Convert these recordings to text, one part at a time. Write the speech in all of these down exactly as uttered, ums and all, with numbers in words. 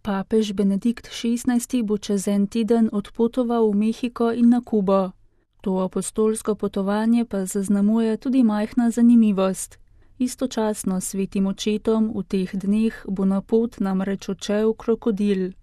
Papež Benedikt šestnajsti bo čez en teden odpotoval v Mehiko in na Kubo. To apostolsko potovanje pa zaznamuje tudi majhna zanimivost. Istočasno s svetim očetom v teh dneh bo na pot namreč odšel krokodil.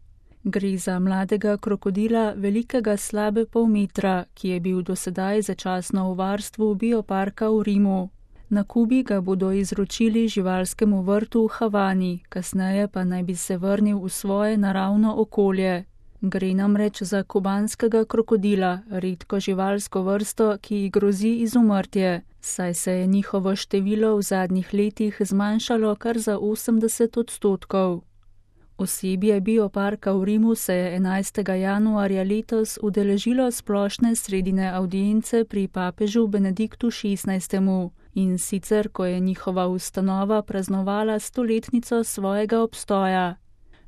Gre za mladega krokodila velikega slabe pol metra, ki je bil dosedaj začasno v varstvu bioparka v Rimu. Na Kubi ga bodo izročili živalskemu vrtu v Havani, kasneje pa naj bi se vrnil v svoje naravno okolje. Gre namreč za kubanskega krokodila, redko živalsko vrsto, ki ji grozi izumrtje, saj se je njihovo število v zadnjih letih zmanjšalo kar za osemdeset odstotkov. Osebje bioparka v Rimu se je enajstega januarja letos udeležilo splošne sredine avdience pri papežu Benediktu šestnajstemu. In sicer, ko je njihova ustanova praznovala stoletnico svojega obstoja.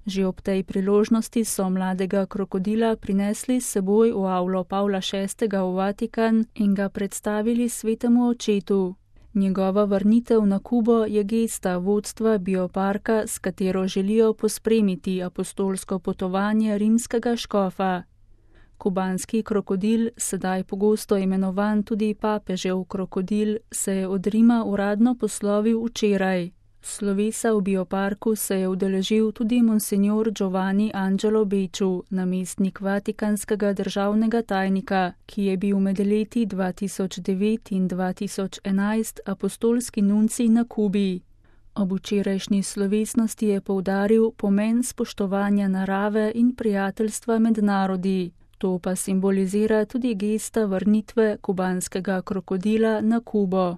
Že ob tej priložnosti so mladega krokodila prinesli s seboj v avlo Pavla šestega v Vatikan in ga predstavili svetemu očetu. Njegova vrnitev na Kubo je gesta vodstva bioparka, s katero želijo pospremiti apostolsko potovanje rimskega škofa. Kubanski krokodil, sedaj pogosto imenovan tudi papežev krokodil, se je od Rima uradno poslovil včeraj. Slovesa v bioparku se je udeležil tudi monsignor Giovanni Angelo Becciu, namestnik vatikanskega državnega tajnika, ki je bil med leti dva tisoč devet in dva tisoč enajst apostolski nuncij na Kubi. Ob včerajšnji slovesnosti je poudaril pomen spoštovanja narave in prijateljstva med narodi. To pa simbolizira tudi gesta vrnitve kubanskega krokodila na Kubo.